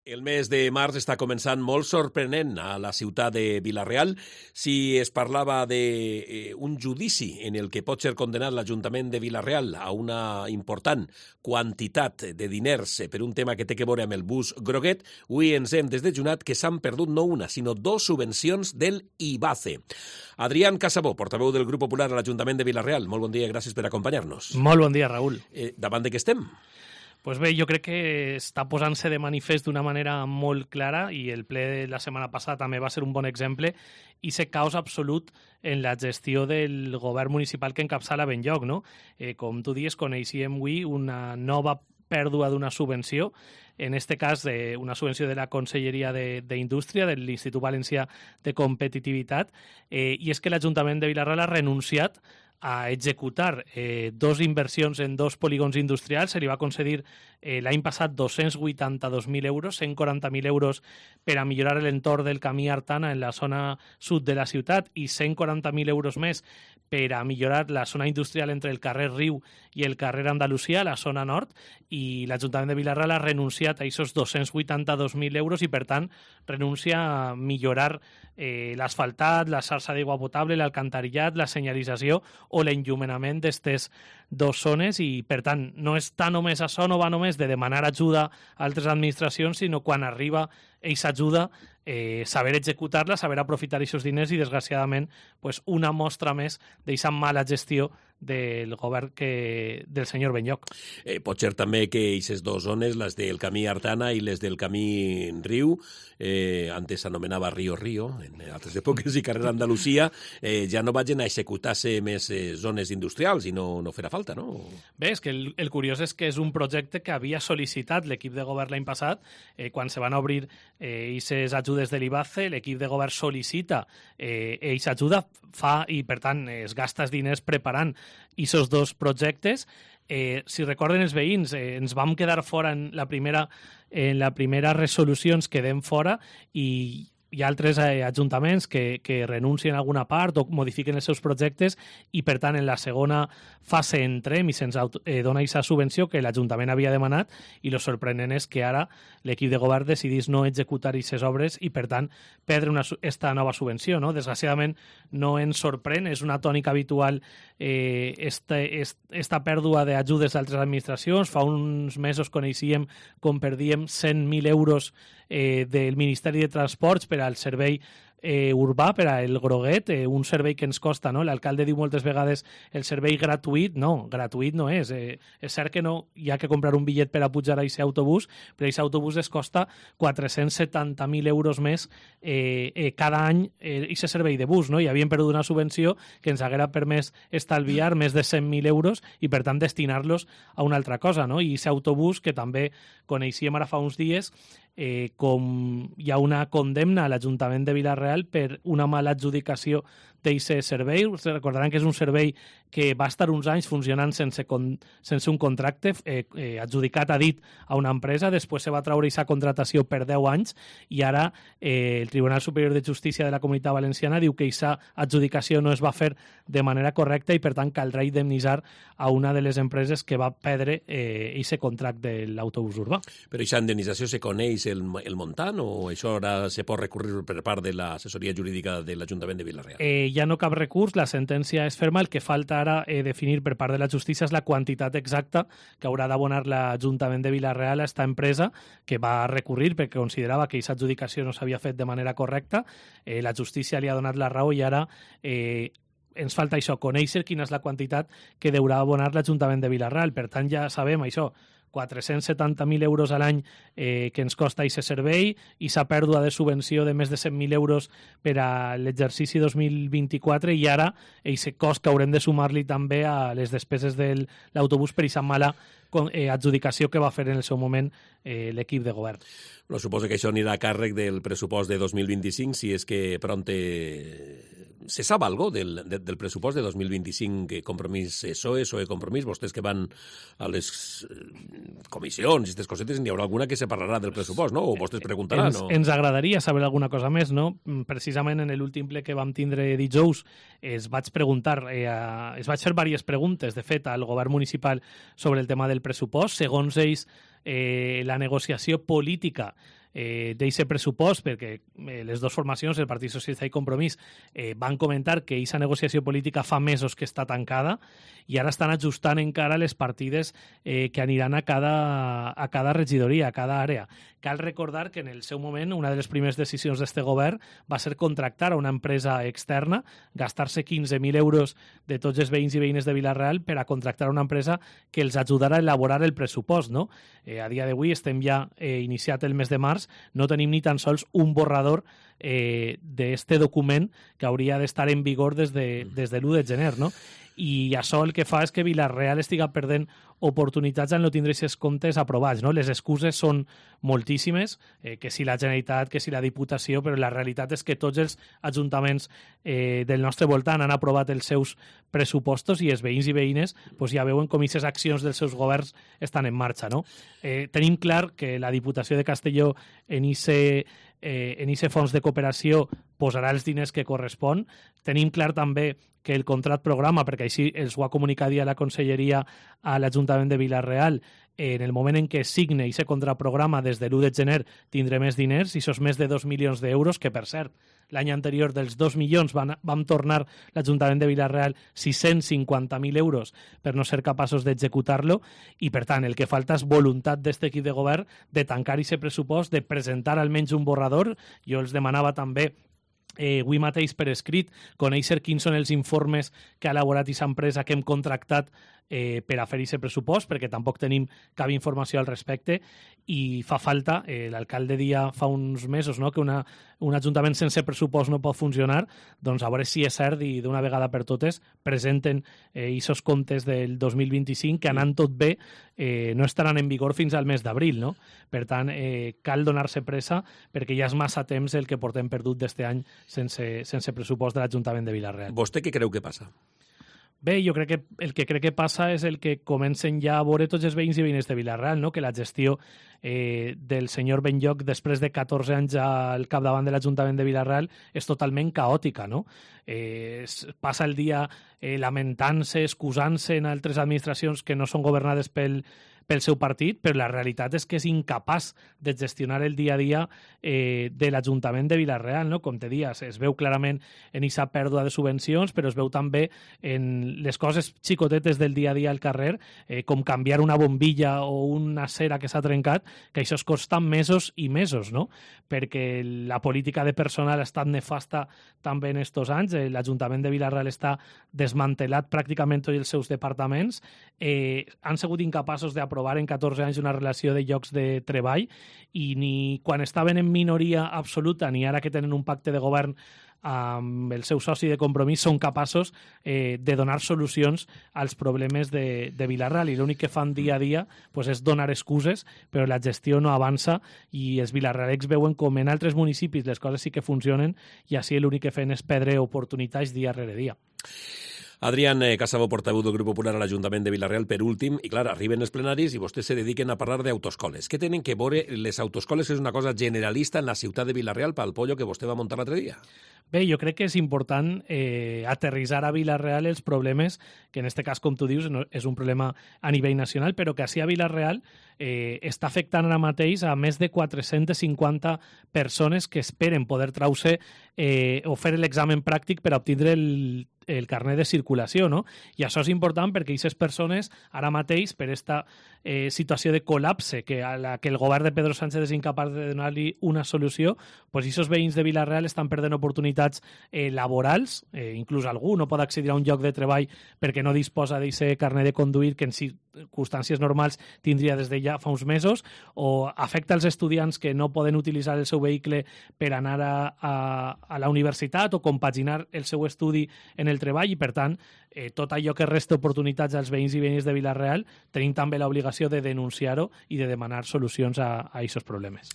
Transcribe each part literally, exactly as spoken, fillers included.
El mes de març està començant molt sorprenent a la ciutat de Vila-real. Si es parlava d'un judici en el que pot ser condenat l'Ajuntament de Vila-real a una important quantitat de diners per un tema que té que veure amb el bus groguet, avui ens hem desdejunat que s'han perdut no una, sinó dos subvencions del IBACE. Adrián Casabó, portaveu del Grup Popular a l'Ajuntament de Vila-real. Molt bon dia, gràcies per acompanyar-nos. Molt bon dia, Raül. Eh, davant de què estem? Pues bé, jo crec que està posant-se de manifest d'una manera molt clara i el ple de la setmana passada també va ser un bon exemple i se caos absolut en la gestió del govern municipal que encapçala Benlloc, no? Eh, com tu dius, coneixíem avui una nova pèrdua d'una subvenció, en este cas eh, una subvenció de la Conselleria d'Indústria, de l'Institut Valencià de Competitivitat, eh, i és que l'Ajuntament de Vila-real ha renunciat a executar eh, dos inversions en dos polígons industrials. Se li va concedir eh, l'any passat dos-cents vuitanta-dos mil euros, cent quaranta mil euros per a millorar l'entorn del camí Artana en la zona sud de la ciutat i cent quaranta mil euros més per a millorar la zona industrial entre el carrer Riu i el carrer Andalusia, la zona nord, i l'Ajuntament de Vila-real ha renunciat a aquests dos-cents vuitanta-dos mil euros i, per tant, renuncia a millorar eh, l'asfaltat, la xarxa d'aigua potable, l'alcantarillat, la senyalització o l'enllumenament d'aquestes dues zones i, per tant, no està només això, no va només de demanar ajuda a altres administracions, sinó quan arriba aquesta ajuda, eh, saber executar-la, saber aprofitar aquests diners i, desgraciadament, pues, una mostra més d'aquesta mala gestió del govern que, del senyor Benlloc. Eh, pot ser també que aquestes dues zones, les del camí Artana i les del camí Riu, eh, antes s'anomenava Río Río, en altres èpoques, i carrer Andalusia, eh, ja no vagin a executar-se més eh, zones industrials i no, no farà falta, no? Bé, és que el, el curiós és que és un projecte que havia sol·licitat l'equip de govern l'any passat, eh, quan se van obrir aquestes eh, ajudes de l'IBACE, l'equip de govern sol·licita eh, aquesta ajuda, fa i, per tant, es gasta els diners preparant aquests dos projectes. Eh, si recorden els veïns, eh, ens vam quedar fora en la primera, en la primera resolució, ens quedem fora i hi ha altres eh, ajuntaments que, que renuncien a alguna part o modifiquen els seus projectes i, per tant, en la segona fase entrem i se'ns eh, dona aquesta subvenció que l'Ajuntament havia demanat i el sorprenent és que ara l'equip de govern decidís no executar aquestes obres i, per tant, perdre una, esta nova subvenció, no? Desgraciadament no ens sorprèn, és una tònica habitual eh, esta, esta pèrdua d'ajudes d'altres administracions. Fa uns mesos coneixíem com perdíem cent mil euros eh, del Ministeri de Transports per al servei eh, urbà, per al Groguet, eh, un servei que ens costa, no? L'alcalde diu moltes vegades el servei gratuït, no, gratuït no és. Eh, és cert que no hi ha que comprar un bitllet per a pujar a aquest autobús, però aquest autobús es costa quatre-cents setanta mil euros més eh, eh, cada any aquest eh, servei de bus, no? I havien perdut una subvenció que ens haguera permès estalviar més de cent mil euros i, per tant, destinar-los a una altra cosa, no? I aquest autobús, que també coneixíem ara fa uns dies, Eh, com hi ha una condemna a l'Ajuntament de Vila-real per una mala adjudicació d'aquest servei. Recordaran que és un servei que va estar uns anys funcionant sense, con, sense un contracte, eh, eh, adjudicat a dit a una empresa, després se va treure aquesta contratació per deu anys i ara eh, el Tribunal Superior de Justícia de la Comunitat Valenciana diu que aquesta adjudicació no es va fer de manera correcta i, per tant, caldrà indemnitzar a una de les empreses que va perdre aquest eh, contracte de l'autobús urbà. Però aquesta indemnització se coneix el, el montant o això ara se pot recurrir per part de l'assessoria jurídica de l'Ajuntament de Vila-real? Eh, ja no cap recurs, la sentència és ferma, el que falta ara eh, definir per part de la justícia és la quantitat exacta que haurà d'abonar l'Ajuntament de Vila-real a esta empresa que va recurrir perquè considerava que aquesta adjudicació no s'havia fet de manera correcta. Eh, la justícia li ha donat la raó i ara eh, ens falta això, conèixer quina és la quantitat que deurà abonar l'Ajuntament de Vila-real. Per tant, ja sabem això, quatre-cents setanta mil euros a l'any eh, que ens costa aquest servei i s'ha pèrdua de subvenció de més de cent mil euros per a l'exercici dos mil vint-i-quatre i ara aquest cost que haurem de sumar-li també a les despeses de l'autobús per aquesta mala eh, adjudicació que va fer en el seu moment eh, l'equip de govern. No, suposo que això anirà a càrrec del pressupost de dos mil vint-i-cinc, si és que pronte se sap algo del, de, del pressupost de dos mil vint-i-cinc, que Compromís P S O E, P S O E Compromís, vostès que van a les comissions i aquestes cosetes, n'hi haurà alguna que se parlarà del pressupost, no? O vostès preguntaran, ens, no? Ens agradaria saber alguna cosa més, no? Precisament en l'últim ple que vam tindre dijous es vaig preguntar, eh, es vaig fer diverses preguntes, de fet, al govern municipal sobre el tema del pressupost. Segons ells, eh, la negociació política eh, d'aquest pressupost, perquè eh, les dues formacions, el Partit Socialista i Compromís, eh, van comentar que aquesta negociació política fa mesos que està tancada i ara estan ajustant encara les partides eh, que aniran a cada, a cada regidoria, a cada àrea. Cal recordar que en el seu moment una de les primeres decisions d'este govern va ser contractar a una empresa externa, gastar-se quinze mil euros de tots els veïns i veïnes de Vila-real per a contractar una empresa que els ajudara a elaborar el pressupost, no? Eh, a dia d'avui estem ja eh, iniciat el mes de març, no tenim ni tan sols un borrador eh, d'este document que hauria d'estar en vigor des de, des de l'u de gener, no? I això el que fa és que Vila-real estiga perdent oportunitats en no tindre aquests comptes aprovats, no? Les excuses són moltíssimes, eh, que si la Generalitat, que si la Diputació, però la realitat és que tots els ajuntaments eh, del nostre voltant han aprovat els seus pressupostos i els veïns i veïnes pues, ja veuen com aquestes accions dels seus governs estan en marxa, no? Eh, tenim clar que la Diputació de Castelló en ese eh, en ese fons de cooperació posarà els diners que correspon. Tenim clar també que el contrat programa, perquè així els ho ha comunicat ja la Conselleria a l'Ajuntament de Vila-real, en el moment en què signe aquest contraprograma des de l'u de gener tindré més diners, i això és més de dos milions d'euros, que per cert, l'any anterior dels dos milions van, vam tornar l'Ajuntament de Vila-real sis-cents cinquanta mil euros per no ser capaços d'executar-lo, i per tant el que falta és voluntat d'aquest equip de govern de tancar aquest pressupost, de presentar almenys un borrador. Jo els demanava també Eh, avui mateix per escrit, conèixer quins són els informes que ha elaborat aquesta empresa que hem contractat eh, per a fer aquest pressupost, perquè tampoc tenim cap informació al respecte, i fa falta, eh, l'alcalde dia fa uns mesos, no?, que una, un ajuntament sense pressupost no pot funcionar, doncs a veure si és cert i d'una vegada per totes presenten aquests eh, comptes del dos mil vint-i-cinc, que anant tot bé eh, no estaran en vigor fins al mes d'abril, no? Per tant, eh, cal donar-se pressa perquè ja és massa temps el que portem perdut d'este any sense, sense pressupost de l'Ajuntament de Vila-real. Vostè què creu que passa? Bé, jo crec que el que crec que passa és el que comencen ja a veure tots els veïns i veïnes de Vila-real, no? Que la gestió eh, del senyor Benlloch després de catorze anys al capdavant de l'Ajuntament de Vila-real és totalment caòtica, no? Eh, passa el dia eh, lamentant-se, excusant-se en altres administracions que no són governades pel pel seu partit, però la realitat és que és incapaç de gestionar el dia a dia eh, de l'Ajuntament de Vila-real, no? Com te dies, es veu clarament en aquesta pèrdua de subvencions, però es veu també en les coses xicotetes del dia a dia al carrer, eh, com canviar una bombilla o una cera que s'ha trencat, que això es costa mesos i mesos, no? Perquè la política de personal ha estat nefasta també en estos anys, eh, l'Ajuntament de Vila-real està desmantelat pràcticament tots els seus departaments, eh, han sigut incapaços d'aprovar aprovar en catorze anys una relació de llocs de treball, i ni quan estaven en minoria absoluta ni ara que tenen un pacte de govern amb el seu soci de Compromís són capaços eh, de donar solucions als problemes de, de Vila-real, i l'únic que fan dia a dia pues, és donar excuses, però la gestió no avança i els vilarrealecs veuen com en altres municipis les coses sí que funcionen i així l'únic que fan és perdre oportunitats dia rere dia. Adrián eh, Casabo, portaveu del Grup Popular a l'Ajuntament de Vila-real, per últim, i clar, arriben els plenaris i vostès se dediquen a parlar d'autoscoles. Què tenen que veure les autoscoles? És una cosa generalista en la ciutat de Vila-real pel pollo que vostè va muntar l'altre dia. Bé, jo crec que és important eh, aterrissar a Vila-real els problemes, que en aquest cas, com tu dius, no, és un problema a nivell nacional, però que així a Vila-real eh, està afectant ara mateix a més de quatre-centes cinquanta persones que esperen poder trau-se eh, o fer l'examen pràctic per obtindre el el carnet de circulació, no? I això és important perquè aquestes persones ara mateix, per aquesta eh, situació de col·lapse que a la que el govern de Pedro Sánchez és incapaç de donar-li una solució, doncs aquests veïns de Vila-real estan perdent oportunitats eh, laborals, eh, inclús algú no pot accedir a un lloc de treball perquè no disposa d'aquest carnet de conduir que en circumstàncies normals tindria des de ja fa uns mesos, o afecta els estudiants que no poden utilitzar el seu vehicle per anar a, a, a la universitat o compaginar el seu estudi en el el treball, i per tant eh, tot allò que resta oportunitats als veïns i veïnes de Vila-real tenim també l'obligació de denunciar-ho i de demanar solucions a aquests problemes.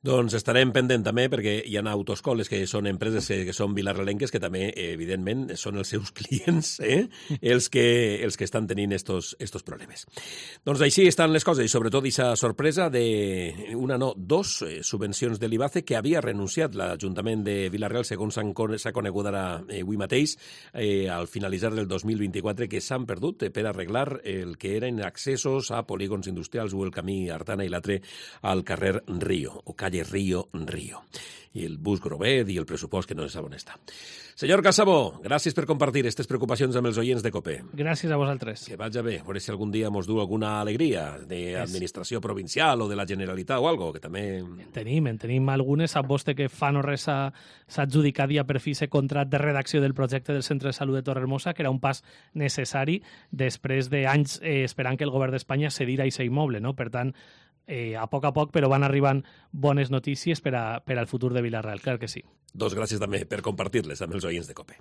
Doncs estarem pendent també, perquè hi ha autoescoles que són empreses que són vilarrelenques que també, evidentment, són els seus clients, eh? els, que, els que estan tenint estos, estos problemes. Doncs així estan les coses, i sobretot aquesta sorpresa de una, no, dos eh, subvencions de l'IBACE que havia renunciat l'Ajuntament de Vila-real, segons s'ha conegut ara eh, avui mateix, eh, al finalitzar del dos mil vint-i-quatre, que s'han perdut eh, per arreglar el que eren accessos a polígons industrials o el camí Artana i l'altre al carrer Río, o calle Río, Río. I el bus Grovet i el pressupost que no se sap on està. Senyor Casabó, gràcies per compartir aquestes preocupacions amb els oients de COPE. Gràcies a vosaltres. Que vaja bé, a veure si algun dia mos du alguna alegria d'administració provincial o de la Generalitat o algo, que també... En tenim, en tenim algunes. Sap vostè que fa no res s'ha adjudicat ja per fi aquest contracte de redacció del projecte del Centre de Salut de Torrehermosa, que era un pas necessari després d'anys eh, esperant que el govern d'Espanya cedira a aquest immoble, no? Per tant, Eh, a poc a poc, però van arribant bones notícies per, a, per al futur de Vila-real, clar que sí. Doncs gràcies també per compartir-les amb els oients de COPE.